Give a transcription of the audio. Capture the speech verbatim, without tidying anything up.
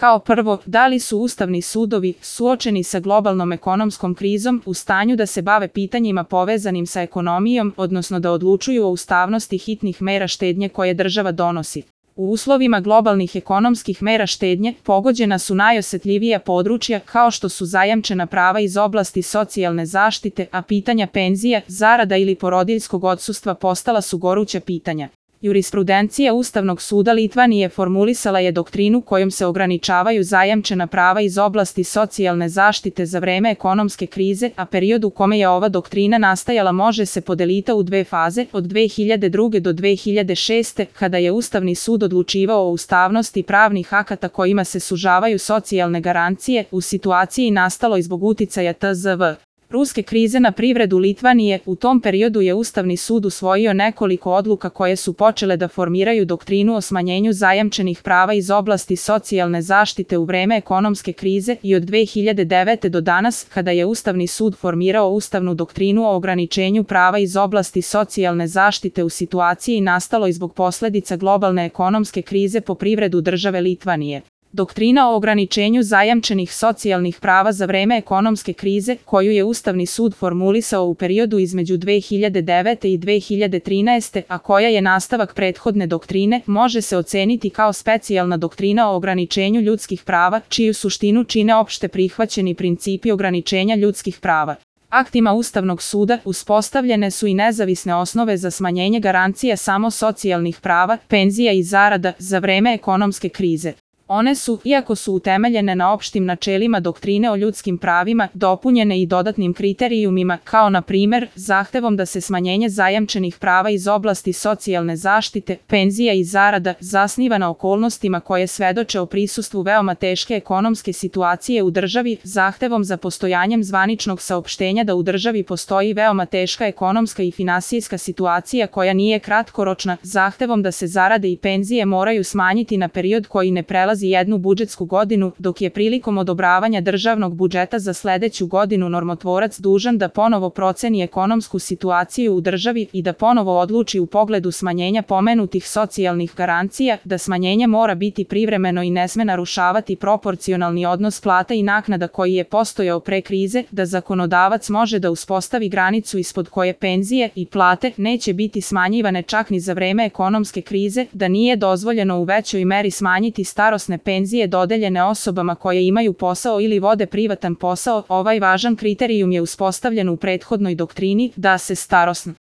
Kao prvo, da li su ustavni sudovi, suočeni sa globalnom ekonomskom krizom, u stanju da se bave pitanjima povezanim sa ekonomijom, odnosno da odlučuju o ustavnosti hitnih mera štednje koje država donosi. U uslovima globalnih ekonomskih mera štednje pogođena su najosetljivija područja kao što su zajamčena prava iz oblasti socijalne zaštite, a pitanja penzija, zarada ili porodiljskog odsustva postala su goruća pitanja. Jurisprudencija Ustavnog suda Litvanije formulisala je doktrinu kojom se ograničavaju zajamčena prava iz oblasti socijalne zaštite za vreme ekonomske krize, a period u kome je ova doktrina nastajala može se podeliti u dve faze, od dve hiljade druge do dve hiljade šeste, kada je Ustavni sud odlučivao o ustavnosti pravnih akata kojima se sužavaju socijalne garancije, u situaciji nastaloj zbog uticaja T Z V. Ruske krize na privredu Litvanije. U tom periodu je Ustavni sud usvojio nekoliko odluka koje su počele da formiraju doktrinu o smanjenju zajamčenih prava iz oblasti socijalne zaštite u vreme ekonomske krize i od dve hiljade devete do danas, kada je Ustavni sud formirao ustavnu doktrinu o ograničenju prava iz oblasti socijalne zaštite u situaciji nastaloj zbog posledica globalne ekonomske krize po privredu države Litvanije. Doktrina o ograničenju zajamčenih socijalnih prava za vreme ekonomske krize, koju je Ustavni sud formulisao u periodu između dve hiljade devete i dve hiljade trinaeste, a koja je nastavak prethodne doktrine, može se oceniti kao specijalna doktrina o ograničenju ljudskih prava, čiju suštinu čine opšte prihvaćeni principi ograničenja ljudskih prava. Aktima Ustavnog suda uspostavljene su i nezavisne osnove za smanjenje garancija samo socijalnih prava, penzija i zarada za vreme ekonomske krize. One su, iako su utemeljene na opštim načelima doktrine o ljudskim pravima, dopunjene i dodatnim kriterijumima, kao na primer, zahtevom da se smanjenje zajamčenih prava iz oblasti socijalne zaštite, penzija i zarada zasniva na okolnostima koje svedoče o prisustvu veoma teške ekonomske situacije u državi, zahtevom za postojanjem zvaničnog saopštenja da u državi postoji veoma teška ekonomska i finansijska situacija koja nije kratkoročna, zahtevom da se zarade i penzije moraju smanjiti na period koji ne prelazi jednu budžetsku godinu, dok je prilikom odobravanja državnog budžeta za sledeću godinu normotvorac dužan da ponovo proceni ekonomsku situaciju u državi i da ponovo odluči u pogledu smanjenja pomenutih socijalnih garancija, da smanjenje mora biti privremeno i ne sme narušavati proporcionalni odnos plata i naknada koji je postojao pre krize, da zakonodavac može da uspostavi granicu ispod koje penzije i plate neće biti smanjivane čak ni za vreme ekonomske krize, da nije dozvoljeno u većoj meri smanjiti starosne penzije dodeljene osobama koje imaju posao ili vode privatan posao. Ovaj važan kriterijum je uspostavljen u prethodnoj doktrini, da se starosna